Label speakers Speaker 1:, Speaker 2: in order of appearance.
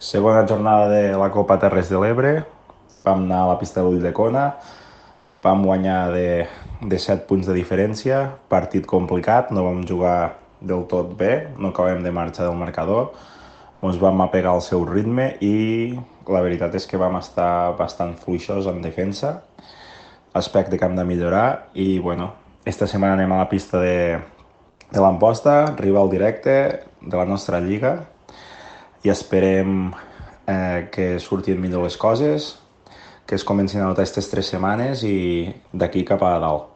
Speaker 1: Segona jornada de la Copa Terres de l'Ebre. Vam anar a la pista de l'Ulldecona. Vam guanyar de 7 punts de diferència. Partit complicat, no vam jugar del tot bé, no acabem de marxar del marcador. Ens vam apegar al seu ritme i la veritat és que vam estar bastant fluixos en defensa. Aspecte que hem de millorar i, bueno, esta setmana anem a la pista de l'Amposta, rival directe de la nostra lliga, i esperem que surtin millor les coses, que es comencin a notar aquestes 3 setmanes i d'aquí cap a dalt.